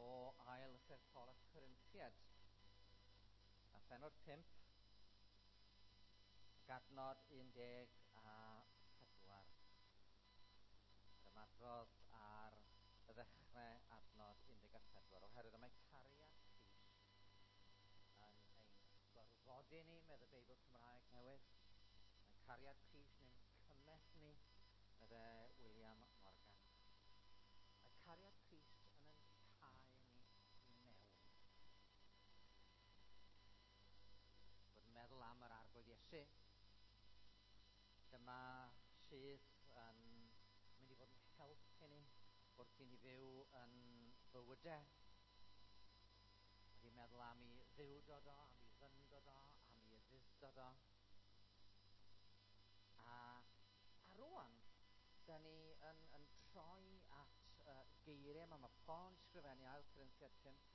o ail lythyr Paul at Corinthiad. A phenod 5, gadnod 14. Yr ymadrodd ar y ddechrau adnod 14, oherwydd mae cariad Crist yn ein gorfodi ni, medd y Beibl Cymraeg newydd. Mae cariad Crist yn ein cymell ni, medde William Morgan. Mae cariad Crist yn ein cau ni i mewn. Bod yn meddwl am yr arglwydd Iesu. Dyma sydd yn mynd i fod yn help i ni wrth i ni fyw yn bywydau. Wedi meddwl am i ddiwdod o, am i ddyndod o, am i ufudd-dod o. A, a rwan, da ni yn, yn troi at uh, geiriau yma. Mae Paul yn sgrifennu ail Corinthiad 5,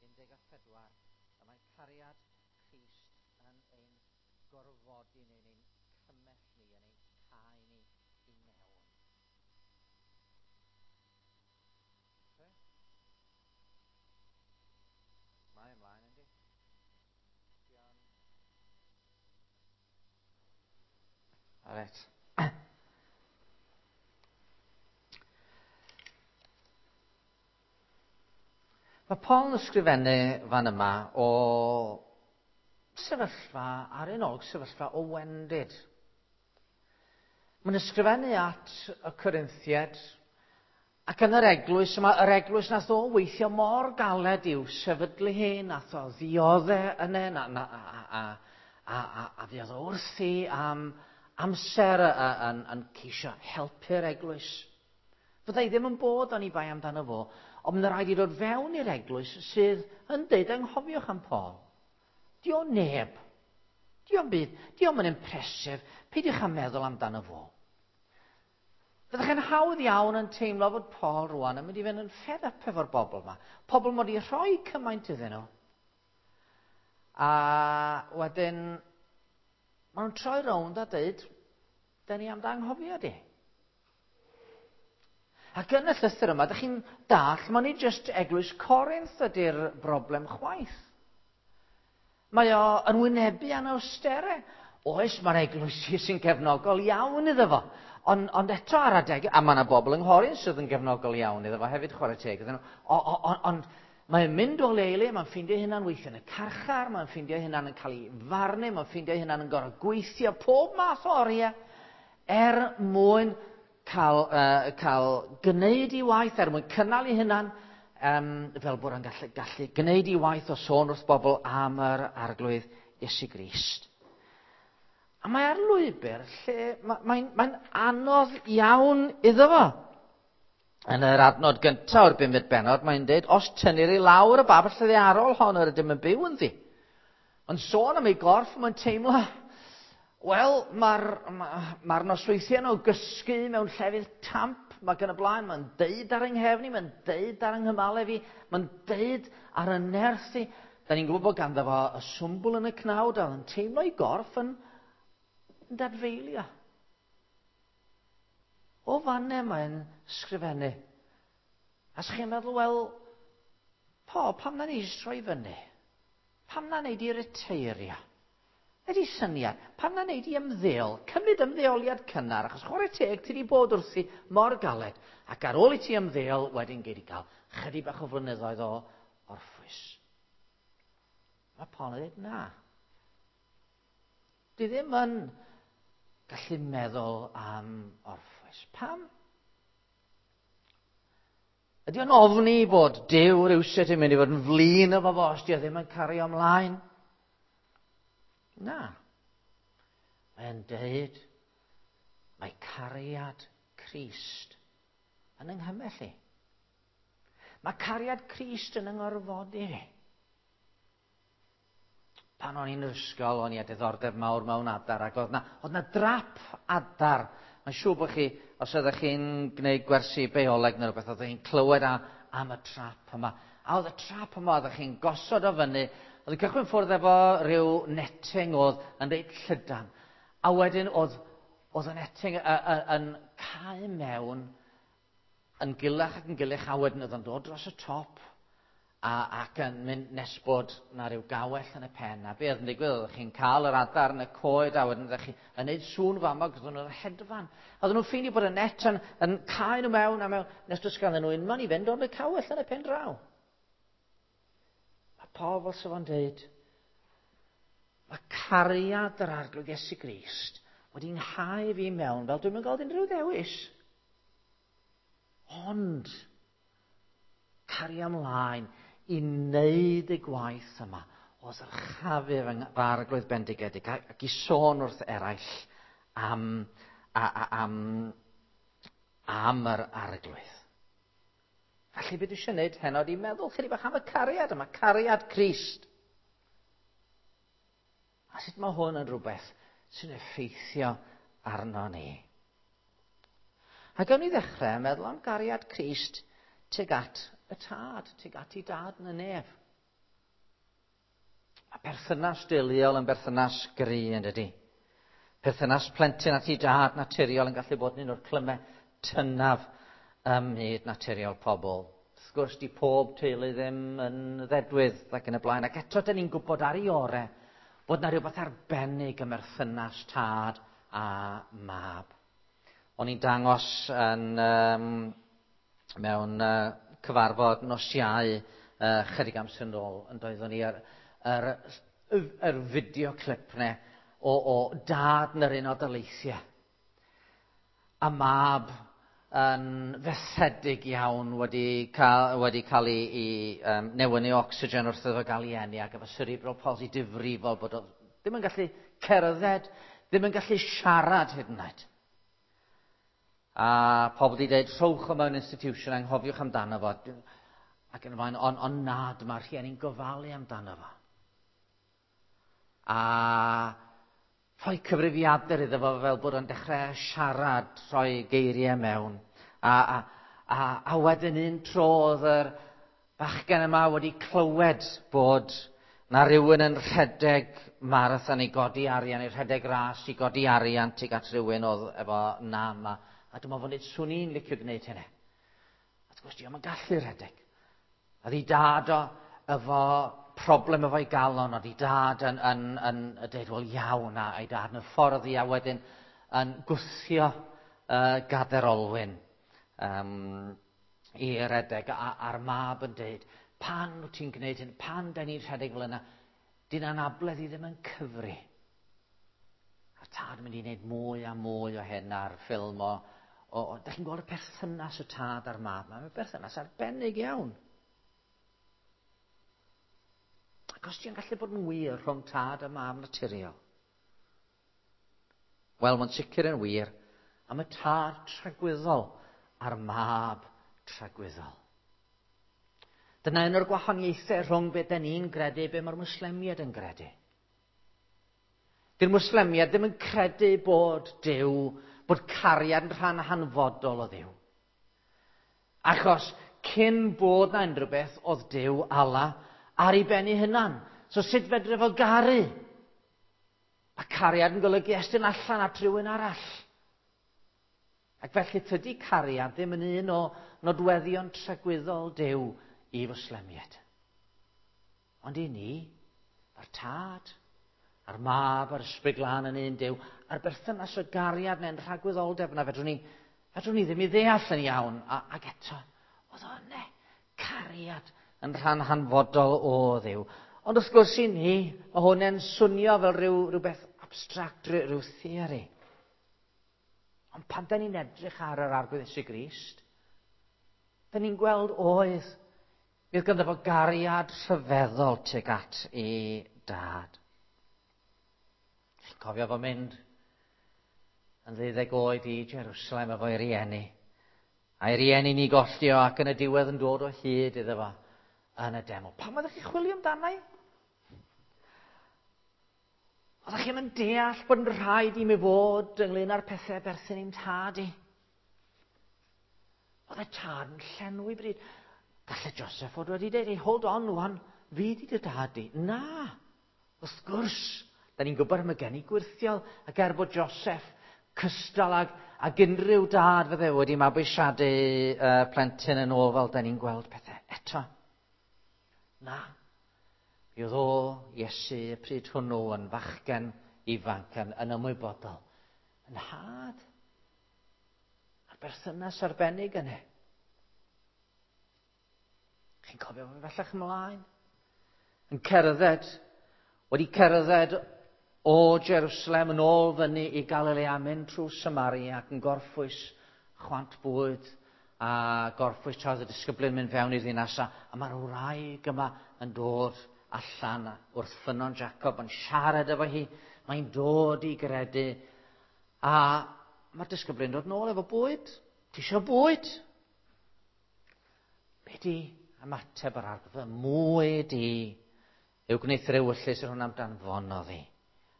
14, a mae cariad Crist yn ein gorfodi ni, yn ein cymell ni, yn ein cau ni i mewn. Okay. Mae ymlaen, yndi? Dion. Alright. Mae Paul yn ysgrifennu fan yma o sefyllfa, ar un olwg, sefyllfa o wendid. Mae'n ysgrifennu at y Corinthiaid, ac yn yr eglwys yma, yr eglwys nath o weithio mor galed i'w sefydlu hi, nath o ddiodde yna, na, na, a, a, a, a, a fuodd o wrthi am amser yn, yn ceisio helpu'r eglwys. Fydda i ddim yn bod oni bai amdano fo, ond mae'n rhaid i ddod fewn i'r eglwys sydd yn deud anghofiwch am Paul. Di o neb. Di o'm byd. Di o'm yn impressive. Peidiwch â meddwl amdano fo. Fyddech chi'n hawdd iawn yn teimlo fod Paul rwan yn mynd i fynd yn fed up efo'r bobl yma. Pobl mod i rhoi cymaint iddyn nhw. A wedyn, maen nhw'n troi rownd a dweud, da ni am dy anghofio di. Ac yn y llythyr yma, ydych chi'n dall, mae'n nid jyst eglwys Corinth ydy'r broblem chwaith. Mae o yn wynebu anawsterau. Oes, mae'r eglwysi sy'n gefnogol iawn iddo fo. Ond, ond eto ar adeg, a mae yna bobl yng Nghoryn sydd yn gefnogol iawn iddo fo hefyd, chwarae teg iddyn nhw. Ond mae'n mynd o le i le, mae'n ffeindio hynna'n weithio yn y carchar, mae'n ffeindio hynna'n yn cael ei farnu, mae'n ffeindio hynna'n yn gorfod gweithio pob math o oriau er mwyn cael, uh, cael gwneud i waith, er mwyn cynnal ei hunan, um, fel bod o'n gallu, gallu gwneud i waith o sôn wrth bobl am yr arglwydd Iesu Grist. A mae ar lwybr lle mae'n mae, mae anodd iawn iddo fo. Yn yr adnod gyntaf o'r bumed bennod, mae'n dweud, os tynnir i lawr y babell ddaearol hon yr ydym yn byw ynddi. Ond sôn am ei gorff, mae'n teimlo, wel, mae'r ma, ma nosweithiau o gysgu mewn llefydd tamp, mae gan y blaen, mae'n deud ar yng nghefn i, mae'n deud ar yng nghymalau fi, mae'n deud ar y nerth i. Da ni'n gwybod bod ganddo fo y swmbwl yn y cnawd, a yn teimlo ei gorff yn, yn dadfeilio. O fanne mae'n sgrifennu. A sa'ch chi'n meddwl, wel, po, pam na ni troi fyny? Pam na wneud i reteirio? Ydy syniad, pam na wneud i ymddeol? Cymryd ymddeoliad cynnar, achos chwarae teg, ti wedi bod wrthi mor galed. Ac ar ôl i ti ymddeol, wedyn gei di gael chydig bach o flynyddoedd o orffwys. Mae Paul yn dweud na. Di ddim yn gallu meddwl am orffwys. Pam? Ydy o'n ofni bod Duw rhywsut yn mynd i fod yn flin efo fo os di o ddim yn cario ymlaen? Na. Mae'n deud, mae cariad Crist yn yng nghymell i. Mae cariad Crist yn yng ngorfodi fi. Pan o'n i'n ysgol, o'n i â diddordeb mawr mewn adar, ac oedd na, oedd na drap adar. Mae'n siŵr bod chi, os ydych chi'n gwneud gwersi bioleg neu rhywbeth, oeddech chi'n clywed am, am y trap yma. A oedd y trap yma, oeddech chi'n gosod o fyny, oedd yn cychwyn ffwrdd efo rhyw netting oedd yn reit llydan. A wedyn oedd, oedd y netting yn cau mewn yn gilach ac yn gilach, a wedyn oedd o'n dod dros y top ac yn mynd nes bod na rhyw gawell yn y pen. A be oedd yn digwydd, oeddech chi'n cael yr adar yn y coed, a wedyn oeddech chi yn neud sŵn famog, oedden nhw'n hedfan. A oedden nhw'n ffeindio bod y net yn cau nhw mewn a mewn, nes does ganddyn nhw unman i fynd ond y cawell yn y pen draw. Mae Paul fel sef o'n deud, mae cariad yr Arglwydd Iesu Grist wedi nghau fi mewn fel dwi'n mynd gweld unrhyw ddewis. Ond, cario ymlaen i wneud y gwaith yma o ddyrchafu fy Arglwydd bendigedig ac i sôn wrth eraill am yr Arglwydd. Felly beth dwi eisiau gwneud heno ydi meddwl chydig bach am y cariad yma, cariad Crist. A sut mae hwn yn rhywbeth sy'n effeithio arno ni. A gawn ni ddechrau meddwl am gariad Crist tuag at y tad, tuag at ei dad yn y nef. Mae perthynas deuluol yn berthynas gry yn dydy. Perthynas plentyn at ei dad naturiol yn gallu bod yn un o'r clymau tynaf ym myd naturiol pobl. Wrth gwrs, di pob teulu ddim yn ddedwydd ac yn y blaen. Ac eto, dyn ni'n gwybod ar ei orau bod na rhywbeth arbennig ym merthynas tad a mab. O'n i'n dangos yn, mewn cyfarfod nos Iau chydig amser yn ôl, yn doeddwn i yr fideo clip ne o dad yn yr Unol Daleithiau. A mab yn fethedig iawn wedi cael ei newynu ocsigen wrth iddo gael ei eni ac efo cerebral palsy difrifol bod o ddim yn gallu cerdded, ddim yn gallu siarad hyd yn oed. A pobl wedi dweud, "Rhowch o mewn institution, anghofiwch amdano fo." Ac yn y blaen, ond na, dyma'r rhieni'n gofalu amdano fo. A rhoi cyfrifiadur iddo fo fel bod o'n dechrau siarad, rhoi geiriau mewn. A wedyn un tro oedd yr bachgen yma wedi clywed bod na rhywun yn rhedeg marathon i godi arian, i rhedeg ras i godi arian tuag at rhywun oedd efo nam. A dyma fo'n dweud, "Swn i'n licio gwneud hynny." A wrth gwrs, dio'm yn gallu rhedeg. A ddi dad o efo problem efo'i galon, oedd ei dad yn dweud, "Wel iawn," a ei dad yn y ffordd i a wedyn yn gwthio gader olwyn i redeg, a'r mab yn dweud, "Pan wyt ti'n gwneud hyn, pan da ni'n rhedeg fel yna, dyn anabledd i ddim yn cyfri." A'r tad yn mynd i wneud mwy a mwy o hyn ar ffilm o, da chi'n gweld y perthynas y tad a'r mab. Mae'n berthynas arbennig iawn. Ac os ti'n gallu bod yn wir rhwng tad a mab naturiol, wel, mae'n sicr yn wir am y tad tragwyddol a'r mab tragwyddol. Dyna un o'r gwahaniaethau rhwng beth da ni'n gredu, be mae'r Mwslemiaid yn gredu. Dy'r Mwslemiaid ddim yn credu bod Duw, bod cariad yn rhan hanfodol o Dduw. Achos cyn bod na unrhyw beth oedd Duw, Allah, ar ei ben ei hunan. So sut fedre fo garu? Mae cariad yn golygu estyn allan at rhywun arall. Ac felly tydi cariad ddim yn un o nodweddion tragwyddol Duw i Fwslemiaid. Ond i ni, mae'r tad, a'r mab, a'r Ysbryd Glân yn un Duw, a'r berthynas o gariad neu'n rhagwyddoldeb yna fedrwn ni ddim i ddeall yn iawn. Ac eto, oedd o yna, cariad yn rhan hanfodol o Dduw. Ond wrth gwrs i ni, mae hwn yn swnio fel rhywbeth abstract, rhyw theori. Ond pan da ni'n edrych ar yr Arglwydd Iesu Grist, da ni'n gweld oedd, bydd ganddo fo gariad rhyfeddol tuag at ei dad. Chi'n cofio fo mynd yn 12 oed i Jerusalem efo'i rieni. A'i rieni ni golli o ac yn y diwedd yn dod o hyd iddo fo yn y deml. Pam oeddech chi chwilio amdano? Oeddech chi'n deall bod yn rhaid i mi fod ynglyn â'r pethau berthyn i'm tad i? Oedd y tad yn llenwi bryd. Gallai Joseph fod wedi dweud, "Hey, hold on wan, fi di dy dad di." Na, wrth gwrs, da ni'n gwybod am y geni gwyrthiol, ac er bod Joseph cystal ag, Ac unrhyw dad fydde wedi mabwysiadu plentyn yn ôl fel da ni'n gweld pethau eto. Na. Mi oedd o, Iesu, y pryd hwnnw yn fachgen ifanc yn ymwybodol. Yn nhad. A'r berthynas arbennig yna. Chi'n cofio fe bellach ymlaen? Yn cerdded, wedi cerdded o Jerusalem yn ôl fyny i Galilea, mynd trwy Samaria ac yn gorffwys chwant bwyd a gorffwys tra oedd y disgyblion mynd fewn i'r ddinas a mae'r wraig yma yn dod allan wrth ffynnon Jacob yn siarad efo hi, mae'n dod i gredu a mae'r disgyblion dod nôl efo bwyd. Ti isio bwyd? Be di ymateb yr Arglwydd? Fy mwyd i yw gwneuthur ewyllys yr hwn am danfonodd i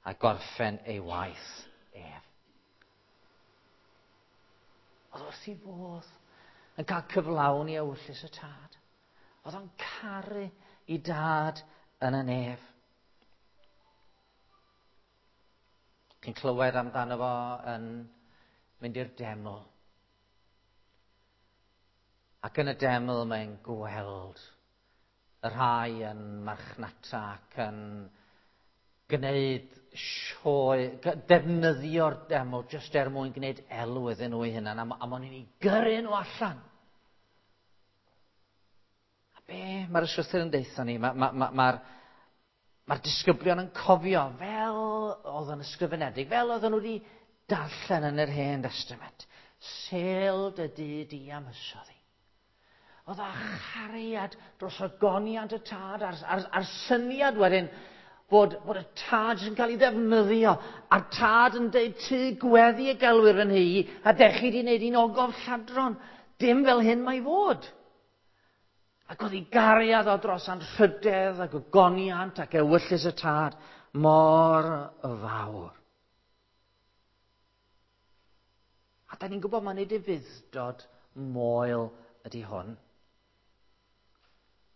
a gorffen ei waith ef. Oedd wrth ei fodd yn cael cyflawni ewyllys y tad. Oedd o'n caru i dad yn y nef. Chi'n clywed amdano fo yn mynd i'r deml. Ac yn y deml mae'n gweld y rhai yn marchnata ac yn gwneud sioe, defnyddio'r deml jyst er mwyn gwneud elw iddyn nhw eu hunan, a maen nhw'n ei gyrru nhw allan. A be mae'r ysgrythur yn deutha ni? Mae'r ma, ma, ma, ma disgyblion yn cofio fel oedd yn ysgrifenedig, fel oedden nhw wedi darllen yn yr Hen Testament. Sêl dy dŷ di am hysodd i. Oedd â chariad dros ogoniant y tad a'r, ar, ar syniad wedyn bod y tad sy'n cael ei ddefnyddio, a'r tad yn deud tŷ gweddi y gelwir yn hi, a dech chi wedi gwneud un ogof lladron. Dim fel hyn mae fod. Ac oedd ei gariad o dros anrhydedd ac ogoniant ac ewyllys y tad mor fawr. A da ni'n gwybod mae nid ufudd-dod moel ydy hwn.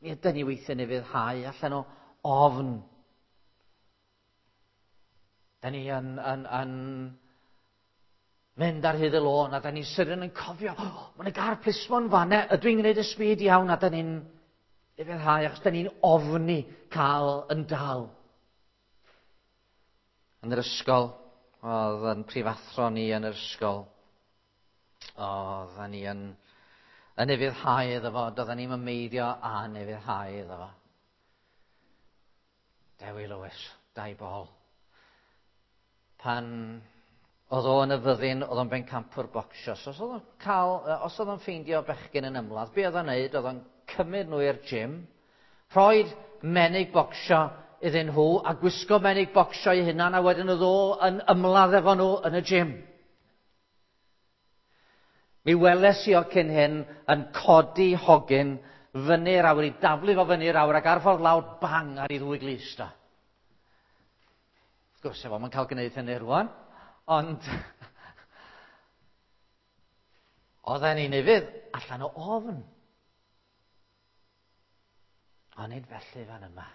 Mi ydyn ni weithiau'n ufuddhau allan o ofn. Da ni yn mynd ar hyd y lôn a da ni'n sydyn yn cofio, oh, mae'n y gar plismon fanne, ydw i'n gwneud y speed iawn, a da ni'n ufuddhau achos da ni'n ofni cael yn dal. Yn yr ysgol, oedd yn prifathro ni yn yr ysgol, oedd ni yn ufuddhau iddo fo, doedden ni'n meiddio a'n ufuddhau iddo fo. Dewi Lewis, Dai Bol. Pan oedd o yn y fyddin, oedd o'n bencampwr bocsio. So, os oedd o'n ffeindio bechgyn yn ymladd, be oedd o'n neud? Oedd o'n cymryd nhw i'r gym, rhoid menig bocsio iddyn nhw, a gwisgo menig bocsio i hunan, a wedyn oedd o yn ymladd efo nhw yn y gym. Mi weles i o cyn hyn yn codi hogyn fyny'r awyr, i daflu fo fyny'r awyr, ac ar ffordd lawr, bang, ar ei ddwy glust o. Wrth gwrs, efo, mae'n cael gwneud hynny rwan, ond oedden ni'n ufudd allan o ofn. Ond nid felly fan yma.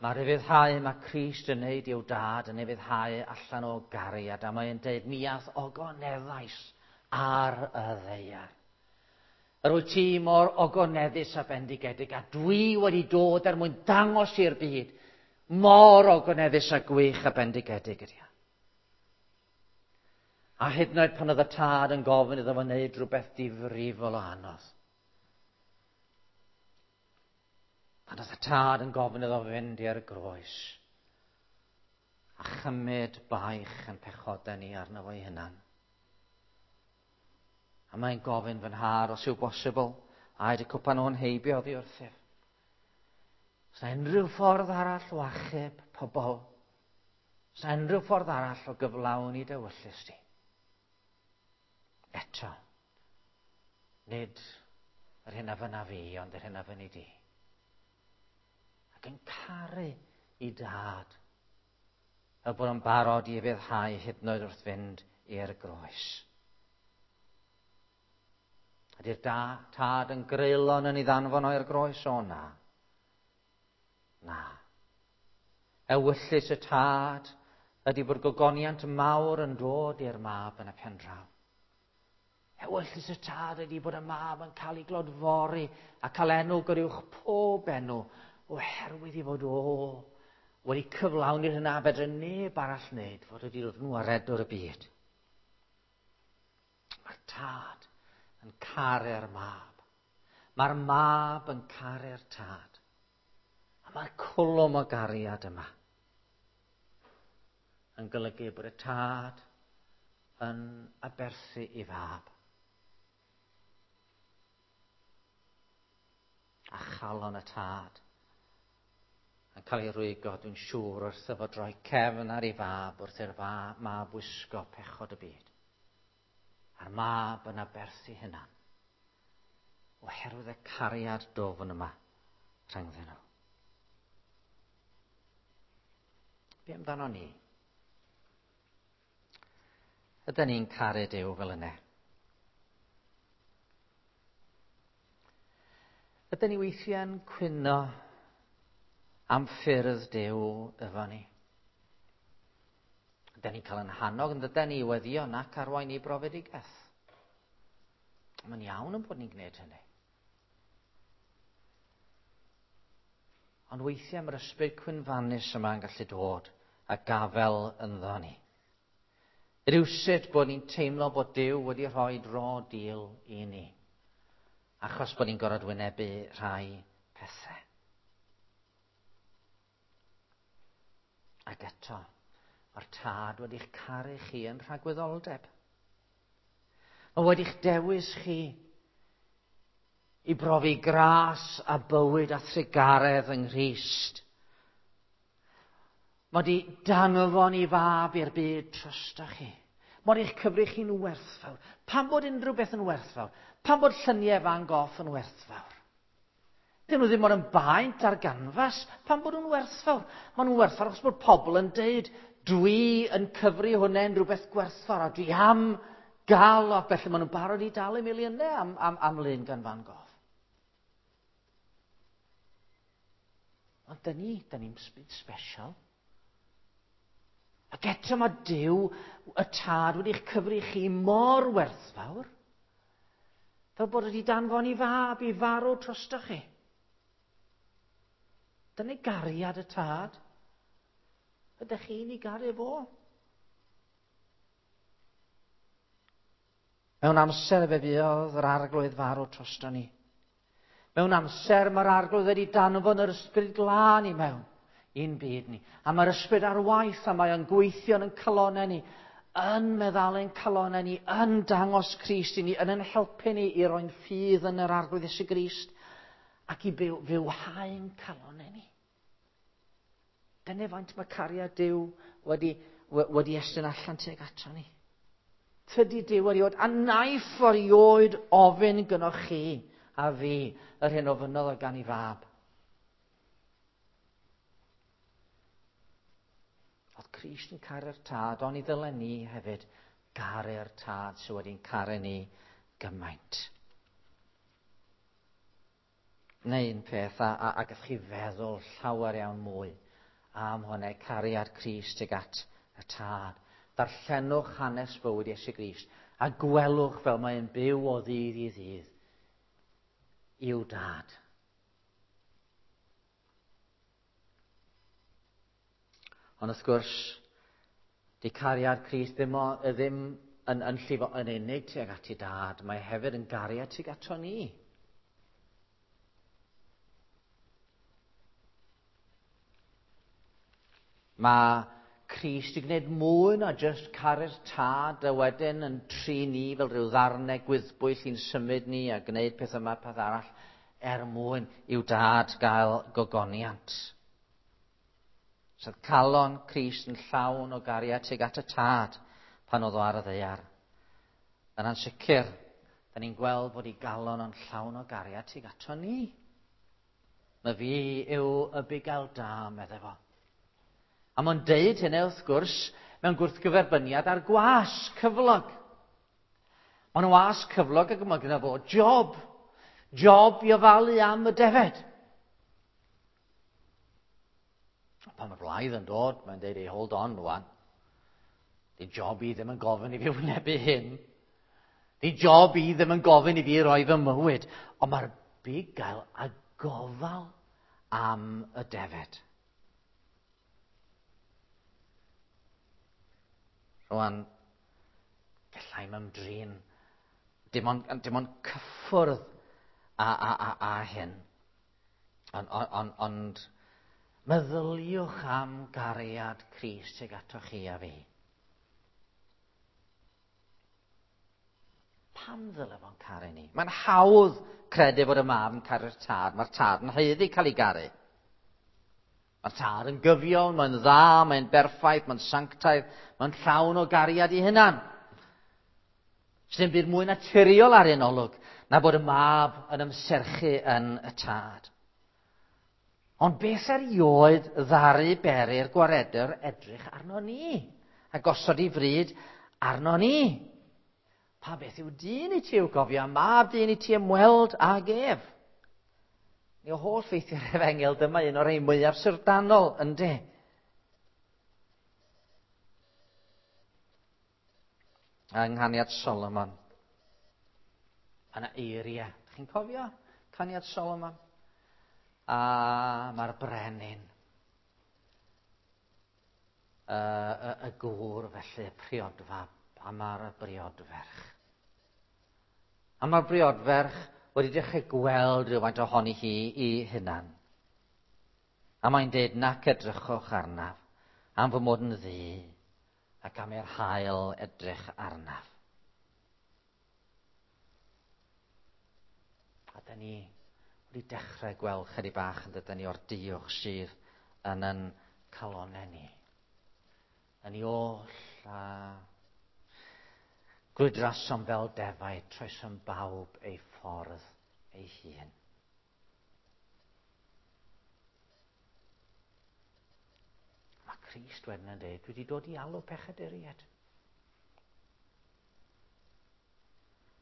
Mae'r ufuddhau mae Crist yn neud i'w dad yn ufuddhau allan o gariad, a mae'n deud, mi ath ogoneddais ar y ddaear. Yr wyt ti mor ogoneddus a bendigedig, a dwi wedi dod er mwyn dangos i'r byd mor ogoneddus a gwych a bendigedig ydy o. A hyd yn oed pan oedd y tad yn gofyn iddo fo wneud rhywbeth difrifol o anodd. Pan oedd y tad yn gofyn iddo fynd i'r groes a chymryd baich yn pechodau ni arno fo'i hunan. A mae'n gofyn fy nhad, os yw bosibl, aed y cwpan o'n heibio oddi wrthyf. Os na unrhyw ffordd arall o achub pobl, os na unrhyw ffordd arall o gyflawni dy ewyllys di. Eto, nid yr hyn a fynna fi, ond yr hyn a fynni di. Ac yn caru i dad, fel bod yn barod i ufuddhau hyd yn oed wrth fynd i'r groes. Ydy'r tad yn greulon yn ei ddanfon o'r groes? O na. Na. Ewyllys y tad ydy bod gogoniant mawr yn dod i'r mab yn y pen draw. Ewyllys y tad ydy bod y mab yn cael ei glodfori a cael enw goruwch pob enw oherwydd i fod o wedi cyflawni'r hyn a fedre neb arall wneud, fod wedi dod yn waredwr y byd. Mae'r tad yn caru'r mab. Mae'r mab yn caru'r tad. A mae'r cwlwm o gariad yma yn golygu bod y tad yn aberthu i fab. A chalon y tad yn cael ei rwygo, dwi'n siŵr, wrth iddo droi cefn ar ei fab, wrth i'r mab wisgo pechod y byd. A'r mab yn aberthu hunan, oherwydd y cariad dofn yma rhyngddyn nhw. Be amdano ni? Ydyn ni'n caru Duw fel yna? Ydyn ni weithiau'n cwyno am ffyrdd Duw efo ni? Ydyn ni'n cael yn hannog yn dydyn ni i weddio nac arwain i brofedigaeth? Mae'n iawn yn bod ni'n gwneud hynny. Ond weithiau mae'r ysbryd cwynfannus yma yn gallu dod a gafel ynddo ni. Rywsut bod ni'n teimlo bod Duw wedi rhoi raw deal i ni, achos bod ni'n gorfod wynebu rhai pethau. Ac eto, mae'r Tad wedi'ch caru chi yn rhagwyddoldeb. Mae wedi'ch dewis chi i brofi gras a bywyd a thrugaredd yng Nghrist. Mae wedi danfon i fab i'r byd trosto chi. Mae wedi'ch cyfri chi'n werthfawr. Pam bod unrhyw beth yn werthfawr? Pam bod lluniau Van Gogh yn werthfawr? Dyn nhw ddim ond yn baent ar ganfas. Pam bod nhw'n werthfawr? Maen nhw'n werthfawr achos bod pobl yn deud, dwi yn cyfri hwnna'n rhywbeth gwerthfawr a dwi am gael o, felly maen nhw'n barod i dalu miliynau am, am, am lun gan Van Gogh. Ond dyn ni, dyn ni'n byd special. Ac eto mae Duw, y Tad, wedi'ch cyfri chi mor werthfawr, fel bod wedi danfon i fab i farw drosto chi. Dyna gariad y Tad. Ydych chi'n ei garu fo? Mewn amser fe fuodd yr Arglwydd farw drosto ni. Mewn amser mae'r Arglwydd wedi danfon yr Ysbryd Glân i mewn i'n byd ni. A mae'r Ysbryd ar waith a mae o'n gweithio yn calonau ni, yn meddalu'n calonau ni, yn dangos Crist i ni, yn yn helpu ni i roi'n ffydd yn yr Arglwydd Iesu Grist ac i byw, fywhau'n calonau ni. Dyna faint mae cariad Duw wedi, wedi estyn allan tuag ato ni. Tydi Duw erioed, a naiff erioed ofyn gynoch chi a fi yr hyn ofynodd o gan ei fab. Oedd Crist yn caru'r tad, ond i ddylen ni hefyd garu'r tad sydd wedi'n caru ni gymaint. Neu un peth, a, a, a gallwch chi feddwl llawer iawn mwy am hwnna, cariad Crist tuag at y Tad. Darllenwch hanes bywyd Iesu Grist a gwelwch fel mae'n byw o ddydd i ddydd i'w dad. Ond wrth gwrs, di cariad Crist ddim, o, ddim yn, yn llifo yn unig tuag at ei dad, mae hefyd yn gariad tuag ato ni. Mae Crist i gwneud mwy na jyst caru'r tad a wedyn yn trin ni fel rhyw ddarnau gwyddbwyll i'n symud ni a gwneud peth yma, peth arall, er mwyn i'w dad gael gogoniant. Sef calon Crist yn llawn o gariad tuag at y tad pan oedd o ar y ddaear. Yn ansicr, da ni'n gweld bod ei galon yn llawn o gariad tuag ato ni. Mae fi yw y bugail da, medde fo. A mae'n deud hynny, wrth gwrs, mewn gwrthgyferbyniad â'r gwas cyflog. Mae'n was cyflog ac mae gyda fo job. Job i ofalu am y defed. Pan mae'r blaidd yn dod, mae'n deud, hey, hold on, rwan. Di job i ddim yn gofyn i fi wynebu hyn. Di job i ddim yn gofyn i fi roi fy mywyd. Ond mae'r bugail a gofal am y defed. Rwan, gallai'm ymdrin dim ond, dim ond cyffwrdd a hyn. Ond meddyliwch am gariad Crist tuag atoch chi a fi. Pam ddyle fo'n caru ni? Mae'n hawdd credu fod y mab yn caru'r tad. Mae'r tad yn haeddu cael ei garu. Mae'r tad yn gyfiawn, mae'n dda, mae'n berffaith, mae'n sanctaidd, mae'n llawn o gariad i hunan. Sdim byd mwy naturiol ar un olwg na bod y mab yn ymserchu yn y tad. Ond beth erioed ddaru beri'r gwaredwr edrych arno ni a gosod ei fryd arno ni? Pa beth yw dyn i ti i'w gofio, a mab dyn i ti ymweld ag ef? Ni o holl ffeithiau'r efengyl, dyma un o'r rhai mwyaf syfrdanol, ynddi? Yng Nghaniad Solomon. Mae yna eiriau. Chi'n cofio Caniad Solomon? A mae'r brenin, y, y, y gŵr felly, y priodfab, a mae'r briodferch. A mae'r briodferch wedi dechrau gweld rhywfaint ohoni hi i hunan. A mae'n deud, nac edrychwch arnaf, am fy mod yn ddu, ac am i'r haul edrych arnaf. A da ni wedi dechrau gweld chydig bach yn dydyn ni o'r diwch sydd yn yn calonau ni. Yn ni oll a grwydrasom fel defaid, troesom bawb ei ffordd ei hun. Mae Crist wedyn yn dweud, dwi wedi dod i alw pechaduriaid.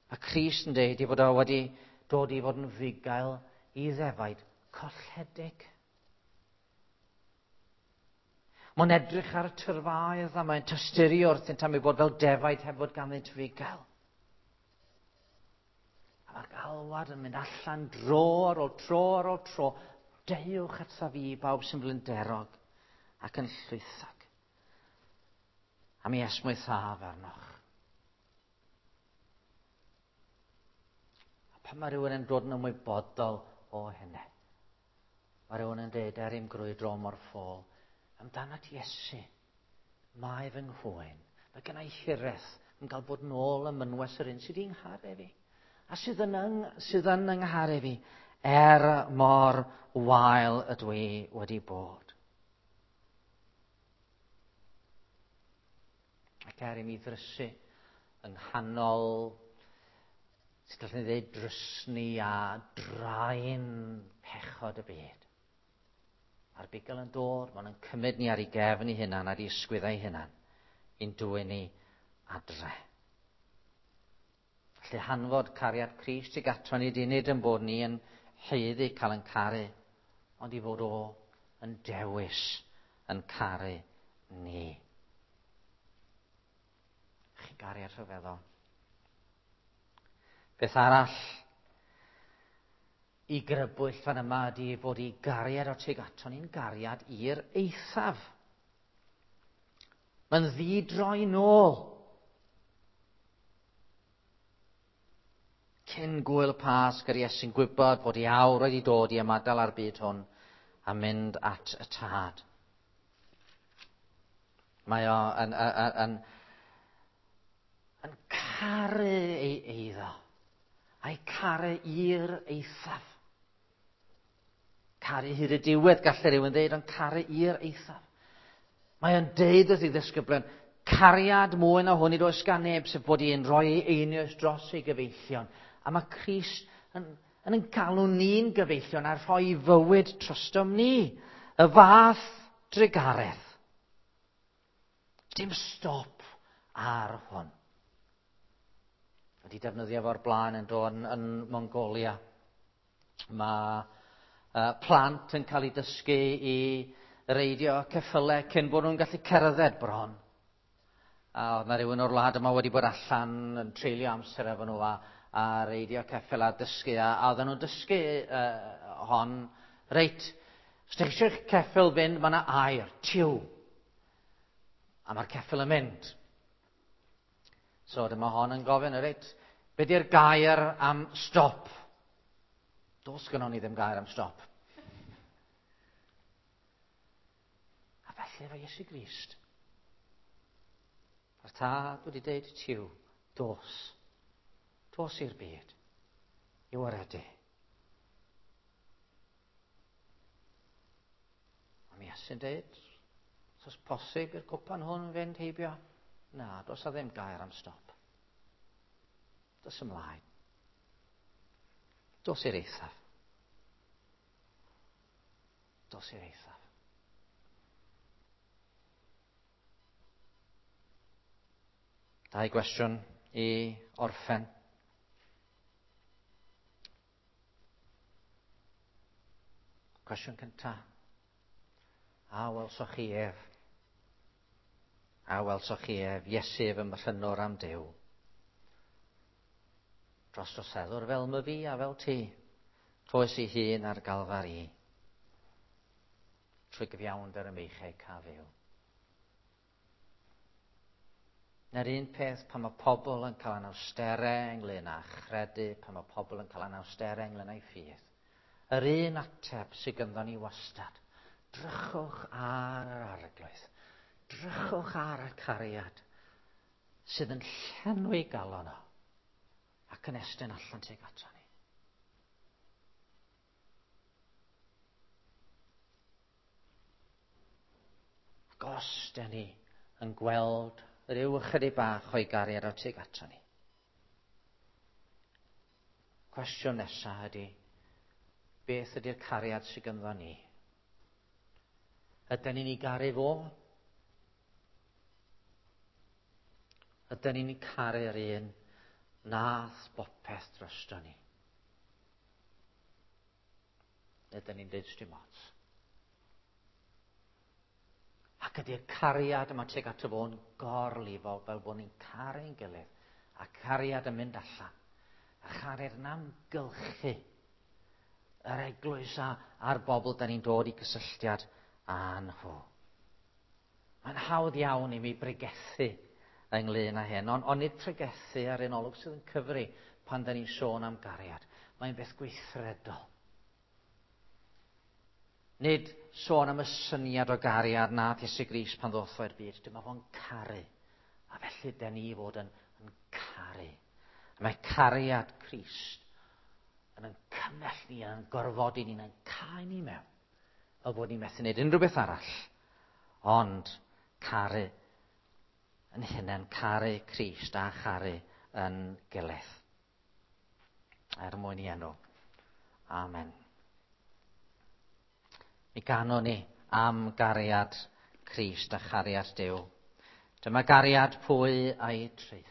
Mae Crist yn dweud ei fod o wedi dod i fod yn fugail i ddefaid colledig. Mae'n edrych ar y tyrfaoedd a mae'n tosturi wrthynt am ei bod fel defaid heb fod ganddynt fugail. A mae'r galwad yn mynd allan dro ar ôl tro ar ôl tro. Deuwch ata fi, bawb sy'n flinderog ac yn llwythog. A mi esmwythaf arnoch. A pan mae rhywun yn dod yn ymwybodol o hynny, mae rhywun yn dweud er i'm grwydro mor ffôl, amdanat Iesu, mae fy nghwyn, mae gen i hiraeth yn cael bod nôl ym mynwes yr un sydd wedi'n ngharu fi, a sydd yn, yng, sydd yn yng ngharu fi, er mor wael ydw i wedi bod. Ac er i mi ddrysu yng nghanol, sut allwn ni ddweud, drysni a draen pechod y byd. Mae'r bugail yn dod, maen nhw'n cymryd ni ar ei gefn ei hunan, ar ei ysgwyddau ei hunan, i'n dwyn ni adre. Felly hanfod cariad Crist i gato ni di nid yn bod ni yn haeddu cael yn caru, ond i fod o yn dewis yn caru ni. Chi gariad rhyfeddol. Beth arall i grybwyll fan yma ydy fod i gariad o tuag ato ni'n gariad i'r eithaf. Mae'n ddi-droi nôl. Cyn gwyl y Pasg, yr Iesu'n gwybod fod ei awr wedi dod i ymadael â'r byd hwn a mynd at y Tad. Mae o yn, yn, yn, yn caru ei eiddo, a'i caru i'r eithaf. Caru hyd y diwedd, gallai rhywun ddeud, ond caru i'r eithaf. Mae o'n deud wrth ei ddisgyblion, cariad mwy na hwn nid oes gan neb, sef bod i'n rhoi ei einioes dros ei gyfeillion. A mae Crist yn, yn yn galw ni'n gyfeillion a rhoi fywyd trostom ni. Y fath drugaredd. Dim stop ar hwn. Wedi defnyddio fo'r blaen yn dod yn, yn Mongolia. Mae plant yn cael eu dysgu i reidio ceffylau cyn bod nhw'n gallu cerdded bron. A oedd na rhywun o'r wlad yma wedi bod allan yn treulio amser efo nhw a reidio ceffyl a dysgu. A oedden nhw'n dysgu hon, reit, os ydych chi eisiau i'ch ceffyl fynd, mae yna air, tiw. A mae'r ceffyl yn mynd. So dyma hon yn gofyn, reit, be di'r gair am stop? Does gynnon ni ddim gair am stop. A felly efo Iesu Grist. Mae'r tad wedi deud tiw, dos. Dos i'r byd. I waredu. A mi Iesu'n deud, os oes posib i'r cwpan hwn fynd heibio? Na, does a ddim gair am stop. Dos ymlaen. Dos i'r eithaf. Dos i'r eithaf. Dau gwestiwn i orffen. Cwestiwn cyntaf. A welsoch chi ef? A welsoch chi ef? Iesu fy mhrynwr am Duw. Dros droseddwr fel my fi a fel ti. Rhoes i hun ar Galfari. Trwy gyfiawnder y meichau ca fyw. Na'r un peth pan mae pobl yn cael anawsterau ynglyn â chredu, pan mae pobl yn cael anawsterau ynglyn â'i ffydd. Yr un ateb sydd ganddo ni wastad. Drychwch ar yr arglwydd. Drychwch ar y cariad sydd yn llenwi galon o ac yn estyn allan tuag ato ni. Ac os dyn ni yn gweld rhyw ychydig bach o'i gariad o tuag ato ni, cwestiwn nesaf ydy, beth ydy'r cariad sydd ganddo ni? Ydyn ni'n ei garu fo? Ydyn ni'n caru'r un nath bopeth drosto ni? Ydyn ni'n dweud dim ots? Ac ydy'r cariad yma tuag ato fo'n gorlifo fel bod ni'n caru'n gilydd a cariad yn mynd allan a chariad yn amgylchu yr eglwys a'r bobl da ni'n dod i gysylltiad â nhw. Mae'n hawdd iawn i mi bregethu ynglyn â hyn, ond nid pregethu ar un olwg sydd yn cyfri pan da ni'n sôn am gariad. Mae'n beth gweithredol. Nid sôn am y syniad o gariad nath Iesu Grist pan ddoth o i'r byd. Dyma fo'n caru. A felly da ni fod yn caru. A mae cariad Crist yn cymell ni, yn gorfodi ni, yn cau ni mewn. Fel bod ni'n methu wneud unrhyw beth arall. Ond caru yn hunain, caru Crist a charu yn gilydd. Er mwyn i enw. Amen. Mi ganwn ni am gariad Crist a chariad Duw. Dyma gariad pwy a'i traetho.